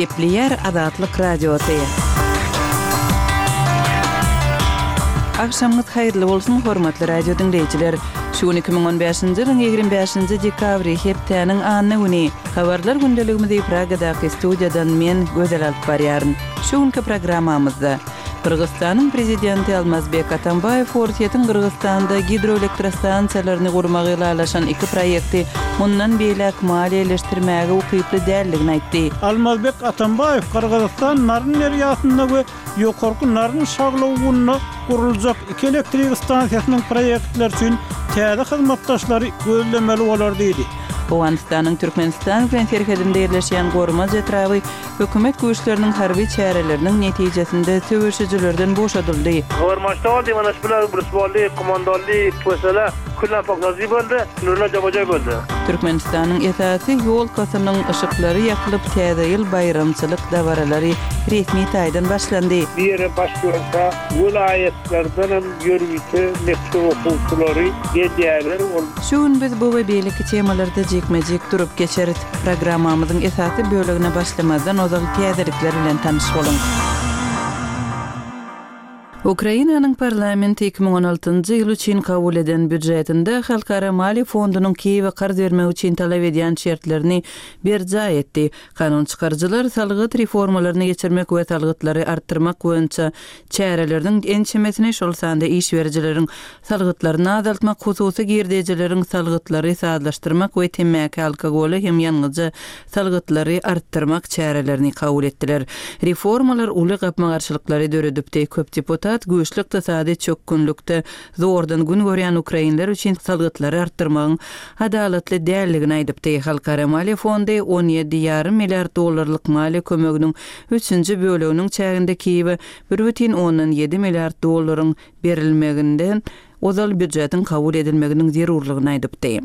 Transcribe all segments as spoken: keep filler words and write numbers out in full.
Gepleýär Azatlyk Radiosy. Agşamyňyz haýyrly bolsun, hormatly radio diňleýjiler! Şu gün iki müň on bäşinji ýylyň ýigrimi bäşinji dekabry, hepdäniň anna güni. Habarlar gündeligimizi Pragadaky studiýadan men, Gözel alyp barýaryn. Şu günki programmamyzda Gyrgyzystanyň Prezidenti Almazbek Atambaýew Orsýetiň Gyrgyzystanda gidroelektrostansiýalaryny gurmagy ylalaşan iki proýekti mundan beýläk maliýeleşdirmäge ukyply däldigini aýtdy. Almazbek Atambaýew Gyrgyzystan Naryn derýasynda we Ýokarky Naryn şaglawugynda guruljak iki elektrik stansiýasynyň proýektleri üçin täze hyzmatdaşlary gözlemeli bolar diýdi. Owganystanyň Türkmenistan bilen serhedinde ýerleşýän Gormaz etraby hökümet güýçleriniň harby çäreleriniň netijesinde söweşijilerden boşadyldy. Gormaçda boldy, mana şular bir boldy, komandoldy, pesele, küllen poknazy boldy, nurla jabaja boldy. Türkmenistanyň esasy ýolkasynyň yşyklary ýakylyp, Täze ýyl baýramçylyk dabaralary resmi taýdan başlandy. Bir ýere baş görse, welaýatlardan hem ýörite mekdep okuwçylary gelýärler. Ol Şu gün biz bu we beýleki temalarda jikme-jik durup geçeris. Programmamyzyň esasy bölegine başlamazdan ozal täzelikler bilen tanyş boluň. Ukrainanyň parlamenti iki müň on altynjy ýyl üçin kabul eden býujetinde Halkara maliýe fondunyň Kiýewe karz bermek üçin talap edýän şertlerini berjaý etdi. Kanun çykaryjylar salgyt reformalaryny geçirmek we salgytlary artdyrmak boýunça çäreleriniň ençemesini, şol sanda iş berijileriň salgytlaryny azaltmak, hususy girdejileriň salgytlary sazlaşdyrmak we temmäki, alkogola hem ýangyja salgytlary artdyrmak çärelerini kabul etdiler. Reformalar uly gapma-garşylyklary döredipdi. Köp deputat güýçli ykdysady çökgünlikde zordan gün görýän ukrainler üçin salgytlary artdyrmagyň adalatly däldigini aýdypdy. Halkara maliýe fondy on ýedi ýarym milliard dollarlyk maliýe kömeginiň üçünji böleginiň çäginde Kiýewe bir bütin ondan ýedi milliard dollaryň berilmeginden ozal býujetiň kabul edilmeginiň zerurlygyny aýdypdy.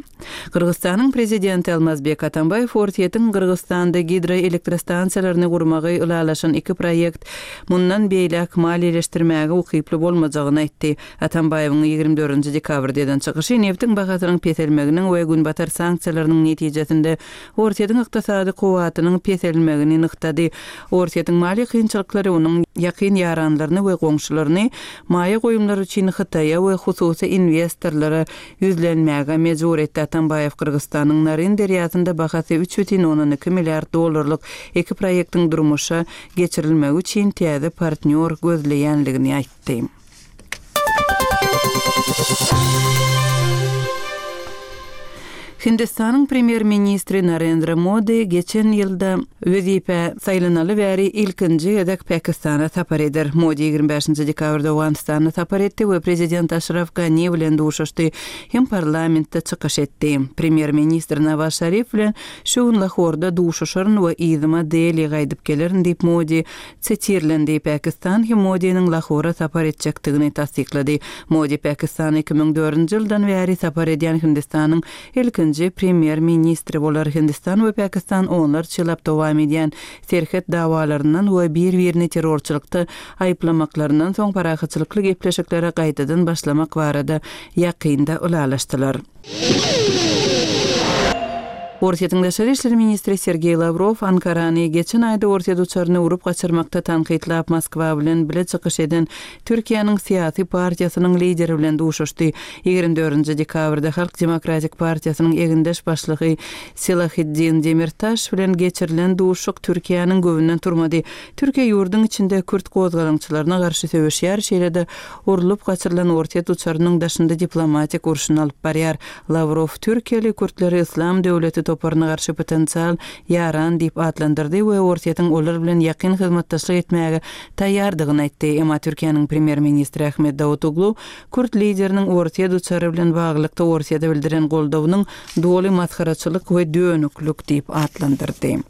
Gyrgyzystanyň prezidenti Almazbek Atambaýew Orsýetiň Gyrgyzystanda gidroelektrostansiýalaryny gurmagy ylalaşan iki proýekt mundan beýläk maliýeleşdirmäge ukyply bolmajagyny aýtdy. Atambaýewiň ýigrimi dördünji dekabrda eden çykyşy neftiň bahasynyň peselmeginiň we günbatar sanksiýalarynyň netijesinde Orsýetiň ykdysady kuwwatynyň peselmegini nygtady. Orsýetiň maliýe kynçylyklary onuň ýakyn ýaranlaryny we goňşularyny maýa goýumlar üçin Hytaýa we hususy investorlara ýüzlenmäge mejbur etdi. Atambaýew Gyrgyzystanyň Naryn derýasynda bahasy üç bütin ondan iki milliard dollarlyk iki proýektiň durmuşa geçirilmegi üçin täze partnýor gözleýänligini aýtdy. Hindistanyň premýer-ministri Narendra Modi geçen ýylda wezipe saýlanaly bäri ilkinji gezek Pakistana sapar eder. Modi ýigrimi bäşinji dekabrda Owganystana sapar etdi we prezident Aşraf Gani bilen duşuşdy, hem parlamentde çykyş etdi. Premýer-ministr Nawaz Şarif bilen şu gün Lahorda duşuşaryn we yzyma Deli gaýdyp gelerin diýip Modi sitirlendi. Pakistan hem Modiniň Lahora sapar etjekdigini tassyklady. Modi Pakistana iki müň dördünji ýyldan bäri sapar edýän Hindistanyň ilkinji premýer-ministri bolar. Hindistan we Pakistan onlarça ýyllap dowam edýän serhet dawalaryndan we bir-birini terrorçylykda aýyplamaklaryndan soň parahatçylykly gepleşiklere gaýtadan başlamak barada ýakynda ylalaşdylar. Orsýetiň daşary işler ministri Sergeý Lawrow Ankarany geçen aýda Orsýet uçaryny urup gaçyrmakda tankytlap Moskwa bilen bile çykyş eden Türkiýäniň syýasy partiýasynyň lideri bilen duşuşdy. Ýigrimi dördünji dekabrda Halk Demokratik Partiýasynyň egindeş başlygy Selaheddin Demirtaş bilen geçirilen duşuşyk Türkiýäniň göwünden turmady. Türkiýe ýurduň içinde kürt gozgalaňçylaryna garşy söweşýär, şeýle-de urlup gaçyrylan Orsýet uçarynyň daşynda diplomatik urşuny alyp barýar. Lawrow Türkiýeli kürtleri Islam döwleti toparyna garşy potensial ýaran diýip atlandyrdy we Orsýetiň olar bilen ýakyn hyzmatdaşlyk etmäge taýýardygyny aýtdy. Emma Türkiýäniň premýer-ministri Ahmet Davutoglu kürt lideriniň Orsýet uçary bilen baglylykda Orsýete bildiren goldawynyň doly masgaraçylyk we dönüklik diýip atlandyrdy.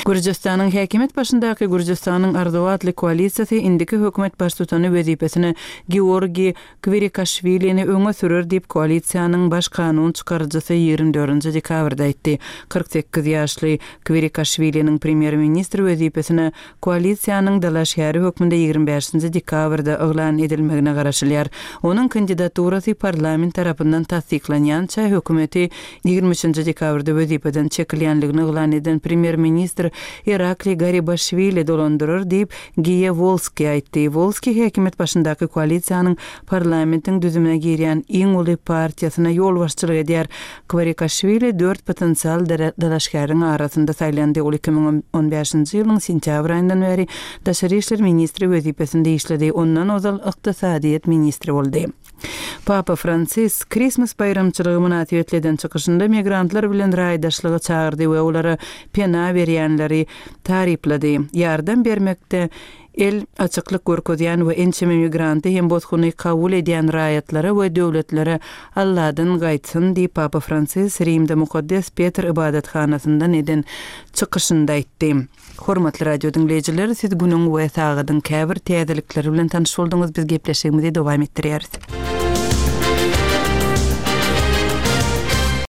Gürjüstanyň häkimiýet başyndaky Gürjüstanyň Arzuw atly koalisiýasy indiki hökümet baştutany wezipesine Georgi Kwirikaşwilini öňe sürer diýip koalisiýanyň baş kanun çykaryjysy ýigrimi dördünji dekabrda aýtdy. Kyrk sekiz ýaşly Kwirikaşwiliniň premýer-ministr wezipesine koalisiýanyň dalaşgäri hökmünde ýigrimi bäşinji dekabrda yglan edilmegine garaşylýar. Onuň kandidaturasy parlament tarapyndan tassyklanýança hökümeti ýigrimi üçünji dekabrda wezipeden çekilýänligini yglan eden premýer-ministr ministr Irakli Garibaşwili dolandyrar diýip, Giýa Wolski aýtdy. Wolski häkimiýet başyndaky koalisiýanyň parlamentiň düzümine girýän iň uly partiýasyna ýolbaşçylyk edýär. Kwarikaşwili dört potensial dalaşgäriň arasynda saýlandy. Ol iki müň on bäşinji ýylyň sentýabr aýyndan bäri daşary işler ministri wezipesinde işledi. Ondan ozal ykdysadyýet ministri boldy. Papa Fransis Krismas baýramçylygy mynasybetli eden çykyşynda migrantlar bilen raýdaşlyga çagyrdy we olara pena berýänleri taryplady. Ýardam bermekde el açyklyk görkezýän we ençeme migranty hem bosguny kabul edýän raýatlara we döwletlere Alladan gaýtsyn diýip Papa Fransis Rimde Mukaddes Petr ybadathanasyndan eden çykyşynda aýtdy. Hormatly radio diňleýjiler, siz günüň we sagadyň käbir täzelikleri bilen tanyş bolduňyz. Biz gepleşigimizi dowam etdirýäris.